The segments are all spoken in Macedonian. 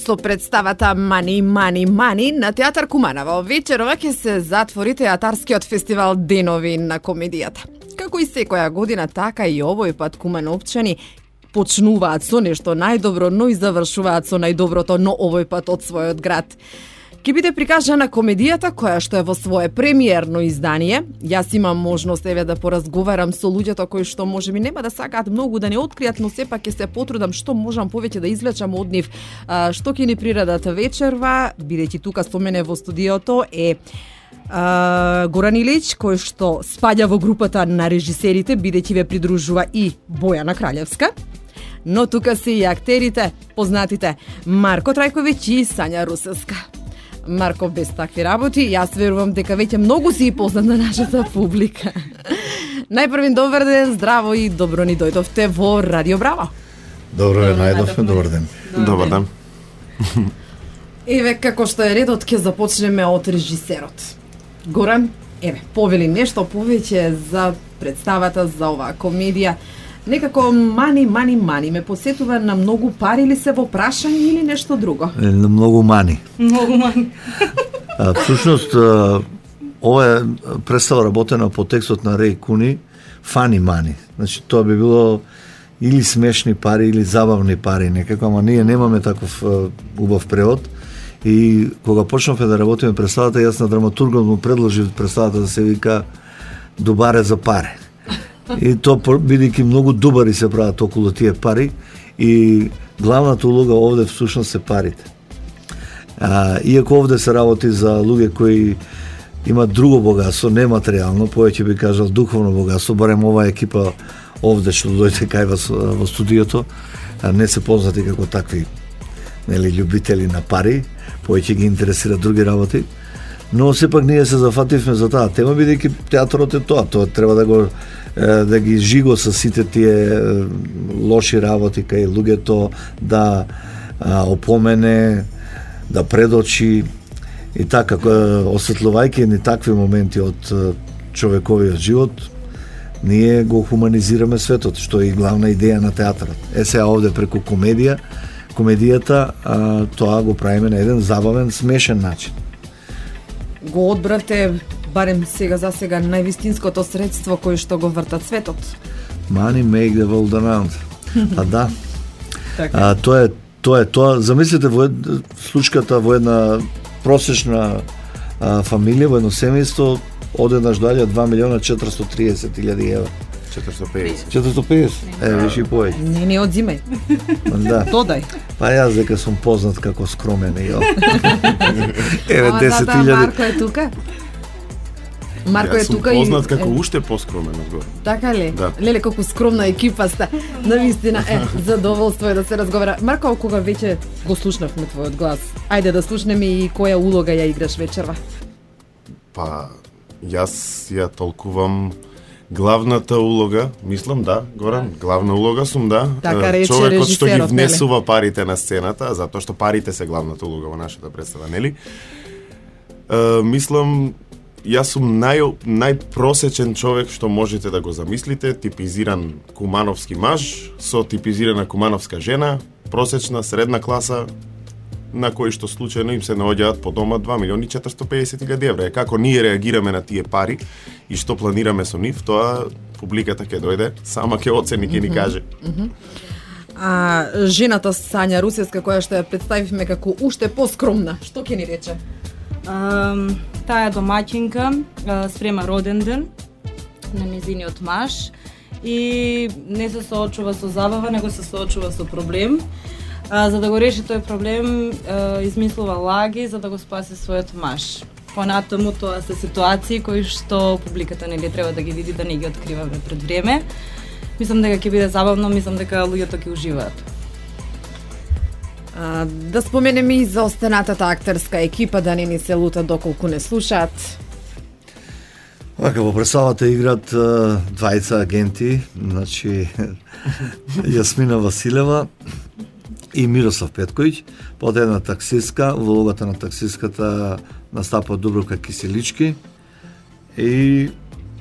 Со представата Мани, Мани, Мани на Театар Куманово вечерова ќе се затвори театарскиот фестивал Денови на комедијата. Како и секоја година, така и овој пат кумановчани почнуваат со нешто најдобро, но и завршуваат со најдоброто, но овој пат од својот град. Ке биде прикажана комедијата која што е во свое премиерно издание. Јас имам можност да поразговарам со луѓето кои што можеби нема да сакаат многу да не откријат, но сепак ќе се потрудам што можам повеќе да извлечам од нив. Што ќе ни приредат вечерва, бидејќи тука со мене во студиото е Горан Илич, кој што спаѓа во групата на режисерите, бидејќи ве придружува и Бојана Краљевска. Но тука се и актерите, познатите Марко Трајковиќ и Сања Русевска. Марко, без такви работи, јас верувам дека веќе многу си и познат на нашата публика. Најпрвин добар ден, здраво и добро ни дојдовте во Радио Браво. Добро ве најдовме, добар ден. Добар ден. Еве, како што е редот, ќе започнеме од режисерот. Горан, еве, повели нешто повеќе за представата, за оваа комедија. Некако мани ме посетува на многу пари ли се во прашање или нешто друго? На многу мани. Многу мани. Всушност, ова е представа работена по текстот на Реј Куни, фани мани. Значи, тоа би било или смешни пари, или забавни пари некако, ама ние немаме таков убав превод. И кога почнавме да работиме представата, јас на драматургот му предложив представата да се вика Дубаре за паре. И тоа бидејќи многу дубари се прават околу тие пари и главната улога овде всушност се парите. Иако овде се работи за луѓе кои имаат друго богатство, нематеријално, повеќе би кажал духовно богатство, барем оваа екипа овде што дојде кај вас во студиото, не се познати како такви љубители на пари, повеќе ги интересира други работи. Но сепак ние се зафативме за таа тема, бидејќи театарот е тоа треба да ги жиго со сите тие лоши работи кај луѓето, да опомене, да предочи и така, осветлувајќи ни такви моменти од човековиот живот, ние го хуманизираме светот, што е и главна идеја на театарот. Сега овде преку комедијата, тоа го правиме на еден забавен, смешен начин. Го одбравте, барем сега за сега, највистинското средство кој што го вртат светот. Money make the world around. Да. Тоа е тоа. Замислите во случката во една просечна фамилија, во едно семејство, одеднаш доаѓа 2.430.000 евра. 450. Виш и повеќе. Не одзимај. Да. Додај. Па јас дека сум познат како скромен и еве 10.000. Марко е тука. Марко е тука и познат како уште поскромен одгоре. Така ли? Да. Леле колку скромна екипа сте. Навистина задоволство е да се разговара. Марко, кога веќе го слушнавме твојот глас, ајде да слушнеме и која улога ја играш вечерва. Па јас ја толкувам главната улога, мислам, да, Горан, главна улога сум, да. Така рече човекот што ги режисерот, внесува парите на сцената, затоа што парите се главната улога во нашата представа, нели? Мислам, јас сум најпросечен човек што можете да го замислите, типизиран кумановски маж со типизирана кумановска жена, просечна средна класа, на кои што случајно им се наоѓаат по дома 2.450.000 евра. Како ние реагираме на тие пари и што планираме со нив, тоа публиката ќе дојде, сама ќе оцени, ќе ни каже. Жената Сања Русевска, која што ја представивме како уште поскромна, што ќе ни рече? Таа домаќинка спрема роден ден на незиниот маж и не се соочува со забава, него се соочува со проблем. За да го реши тој проблем, измислува лаги за да го спаси својот маж. Понатаму тоа се ситуации кои што публиката нели треба да ги види, да не ги откриваме пред време. Мислам дека ќе биде забавно, мислам дека луѓето ќе уживаат. Да споменеме и за останатата актерска екипа, да не ни се лутат доколку не слушаат. Во представата играат двајца агенти, значи Јасмина Василева и Мирослав Петковиќ, под една таксистка, во улогата на таксистката настапа Дубравка Киселички и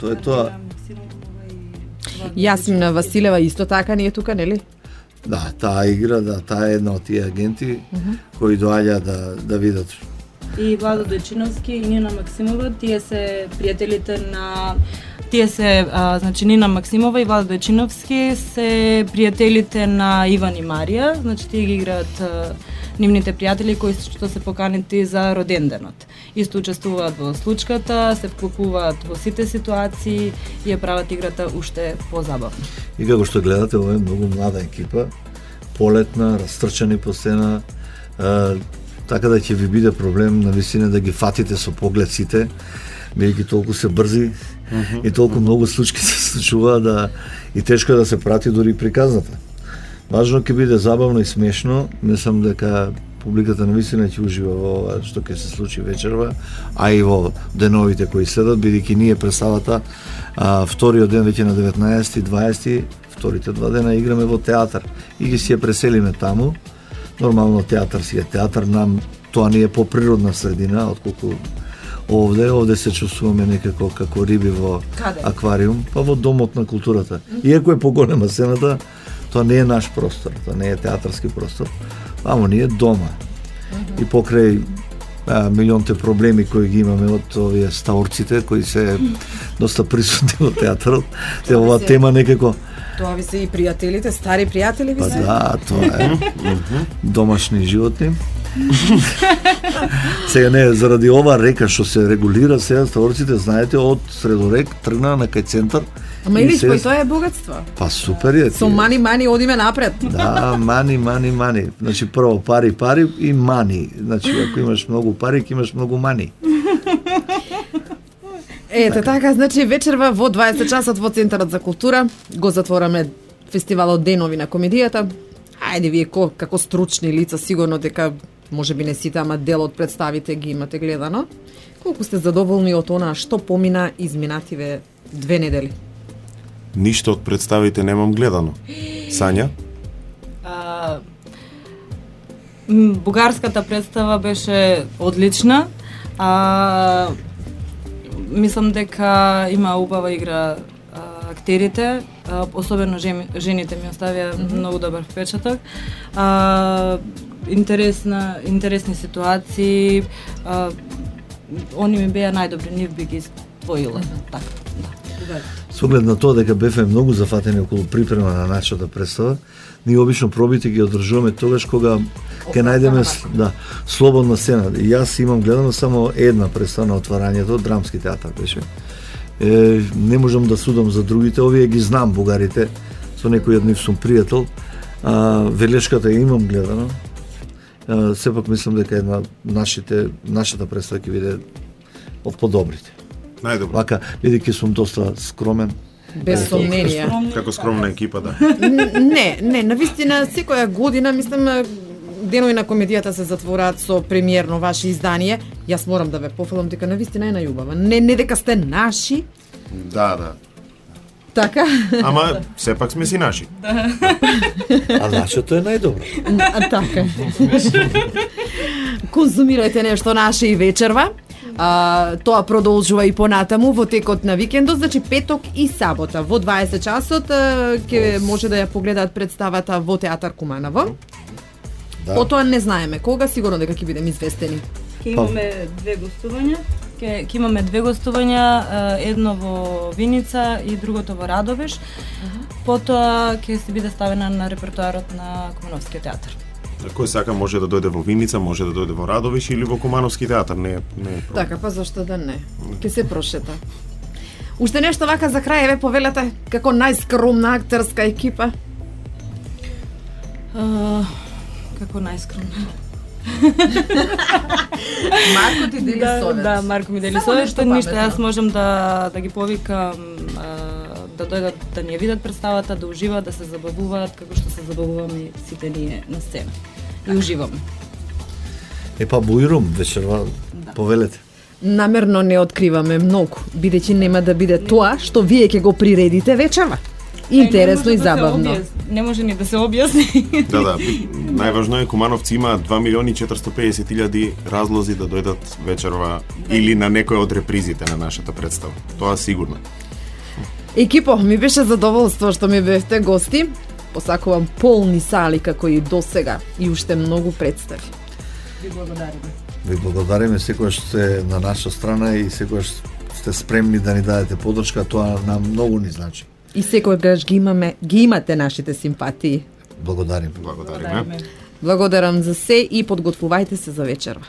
тоа е тоа. Јасмина Василева исто така не е тука, нели? Да, таа игра, да, таа е една од тие агенти кои доаѓа да видат. И Владо Дојчиновски и Нина Максимова, тие се пријателите на значи Нина Максимова и Владо Дојчиновски се пријателите на Иван и Марија, значи тие ги играат нивните пријатели кои што се поканети за роденденот. Исто учествуваат во случката, се вклопуваат во сите ситуации и ја прават играта уште позабавна. И како што гледате, ова е многу млада екипа, полетна, растрчани по сцена, така да ќе ви биде проблем на висина да ги фатите со поглед сите, бидејќи толку се брзи и толку многу случки се случуваат и тешко е да се прати дури приказната. Важно ќе биде забавно и смешно, мислам дека публиката навистина ќе ужива во ова што ќе се случи вечерва, а и во деновите кои следат, бидејќи ние представата вториот ден веќе на 19 и 20, вторите два дена играме во театар и ги си ја преселиме таму. Нормално театар си е театар, нам тоа не е поприродна средина, отколку овде се чувствуваме некако како риби во аквариум, па во домот на културата. Иако е поголема сцената, тоа не е наш простор, тоа не е театарски простор, амо ние дома. И покрај милионите проблеми кои ги имаме од овие ставорците, кои се доста присутни во театарот, оваа тема некако... Тоа ви се и пријателите, стари пријатели ви се? Па да, тоа е. Домашни животни. Сега не, заради ова река што се регулира сега ставорците, знаете, од Средорек тргна на кај центар. Ама или кој тоа е богатство? Па супер е. Со мани одиме напред. Да, мани. Значи прво пари и мани. Значи ако имаш многу пари, ќе имаш многу мани. Ете така, значи вечерва во 20 часот во Центарот за култура го затвораме фестивалот Денови на комедијата. Ајде вие како стручни лица сигурно дека можеби не сите, ама дел од представите ги имате гледано. Колку сте задоволни од она што помина изминативе 2 недели? Ништо од представите немам гледано. Сања? Бугарската представа беше одлична. Мислам дека има убава игра актерите, особено жените ми оставија многу добар впечаток. Интересни ситуации, они ми беа најдобри, нив би ги издвоила. Така, да. Со оглед на тоа дека бевме многу зафатени околу припрема на нашата представа, ние обично пробите ги одржуваме тогаш кога ќе најдеме слободна сцена. И јас имам гледано само една представа на отварањето, драмски театар беше. Не можам да судам за другите, овие ги знам бугарите, со некој од нив сум пријател. Велешката имам гледано. Сепак мислам дека една нашата представа ќе биде од подобрите. Најдобро. Вака, бидејќи сум доста скромен. Без сомнение. Како скромна екипа, да. Не, навистина секоја година, мислам, Денови на комедијата се затвораат со премиерно ваше издание. Јас морам да ве пофалам дека навистина е најубава. Не дека сте наши. Да. Така? Ама сепак сме си наши. А нашето е најдобро. Така. Конзумирајте нешто наше и вечерва. Тоа продолжува и понатаму во текот на викендот, значи петок и сабота во 20 часот ќе може да ја погледаат представата во Театар Куманово. Да. Потоа не знаеме кога, сигурно дека ќе бидеме известени. Ќе имаме две гостувања, едно во Виница и другото во Радовиш. Потоа ќе се биде ставена на репертоарот на Кумановскиот театар. Кој сака може да дојде во Виница, може да дојде во Радовиш или во Кумановски театар, не е проблем. Така, па зашто да не? Ќе се прошета. Уште нешто вака за крај, ве повелете, како најскромна актерска екипа? Како најскромна? Марко ти дели совет. Да, Марко ми дели совет, што ништо јас можам да ги повикам да дојдат да ни ја видат представата, да уживаат, да се забавуваат како што се забавуваме сите ние на сцена. И уживаме. Па бујрум вечерва, повелете. Намерно не откриваме многу, бидејќи нема да биде тоа што вие ќе го приредите вечерва. Интересно и забавно. Не може ни да се објасни. Да, најважно е кумановци имаат 2.450.000 разлози да дојдат вечерва или на некој од репризите на нашата представа. Тоа сигурно. Екипо, ми беше задоволство што ми бевте гости. Посакувам полни сали како и досега и уште многу представи. Ви благодариме. Ви благодариме, секогаш сте на наша страна и секогаш сте спремни да ни дадете поддршка, тоа нам многу ни значи. И секогаш ги имате нашите симпатии. Благодарим. Благодариме. Благодарам за се и подготвувајте се за вечерва.